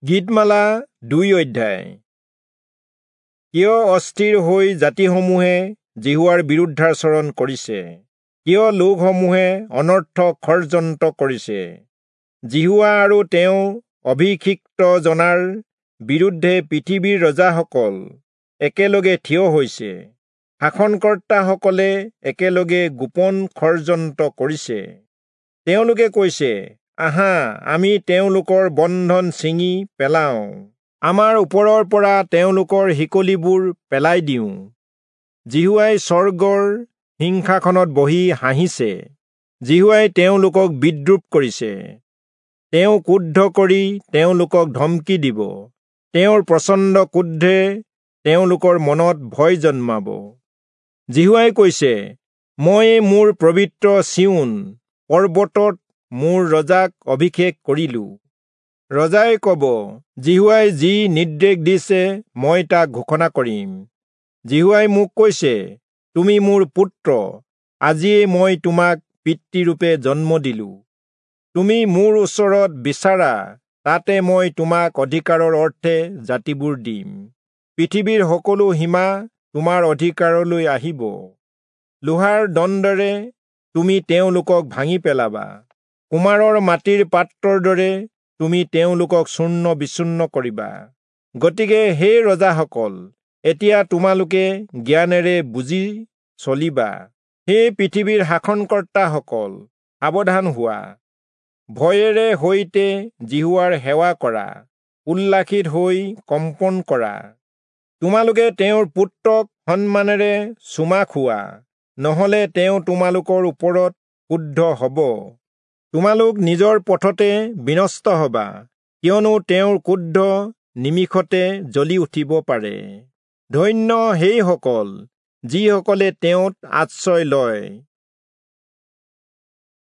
গীতমালা 2 অধ্যায়। কিয় অস্থিৰ হৈ জাতিসমূহে যিহোৱাৰ বিৰুদ্ধাচৰণ কৰিছে? কিয় লোকসমূহে অনৰ্থক ষড়যন্ত্ৰ কৰিছে? যিহোৱা আৰু তেওঁ অভিষিক্ত জনাৰ বিৰুদ্ধে পৃথিৱীৰ ৰজাসকল একেলগে থিয় হৈছে। শাসনকৰ্তাসকলে একেলগে গোপন ষড়যন্ত্ৰ কৰিছে। তেওঁলোকে কৈছে, আহা, আমি তেওঁলোকৰ বন্ধন ছিঙি পেলাওঁ, আমাৰ ওপৰৰ পৰা তেওঁলোকৰ শিকলিবোৰ পেলাই দিওঁ। যিহোৱাই স্বৰ্গৰ সিংহাসনত বহি হাঁহিছে। যিহোৱাই তেওঁলোকক বিদ্ৰূপ কৰিছে। তেওঁ ক্ৰুদ্ধ কৰি তেওঁলোকক ধমকি দিব। তেওঁৰ প্ৰচণ্ড ক্ৰোধে তেওঁলোকৰ মনত ভয় জন্মাব। যিহোৱাই কৈছে, মই মোৰ পবিত্ৰ চিয়োন পৰ্বতত মোৰ ৰজাক অভিষেক কৰিলো। ৰজাই কব, যিহোৱাই যি নিৰ্দেশ দিছে মই তাক ঘোষণা কৰিম। যিহোৱাই মোক কৈছে, তুমি মোৰ পুত্ৰ, আজিয়েই মই তোমাক পিতৃৰূপে জন্ম দিলো। তুমি মোৰ ওচৰত বিচাৰা, তাতে মই তোমাক অধিকাৰৰ অৰ্থে জাতিবোৰ দিম। পৃথিৱীৰ সকলো সীমা তোমাৰ অধিকাৰলৈ আহিব। লোহাৰ দণ্ডেৰে তুমি তেওঁলোকক ভাঙি পেলাবা। কুমাৰৰ মাটিৰ পাত্ৰৰ দৰে তুমি তেওঁলোকক চূৰ্ণ বিচূৰ্ণ কৰিবা। গতিকে হে ৰজাসকল, এতিয়া তোমালোকে জ্ঞানেৰে বুজি চলিবা। হে পৃথিৱীৰ শাসনকৰ্তাসকল, সাৱধান হোৱা। ভয়েৰে সৈতে যিহোৱাৰ সেৱা কৰা, উল্লাসিত হৈ কম্পন কৰা। তোমালোকে তেওঁৰ পুত্ৰক সন্মানেৰে চুমা খোৱা, নহলে তেওঁ তোমালোকৰ ওপৰত ক্ৰুদ্ধ হব। তোমালোক নিজৰ পথতে বিনষ্ট হবা, কিয়নো তেওঁৰ ক্ৰোধ নিমিষতে জ্বলি উঠিব পাৰে। ধন্য সেইসকল যিসকলে তেওঁত আশ্ৰয় লয়।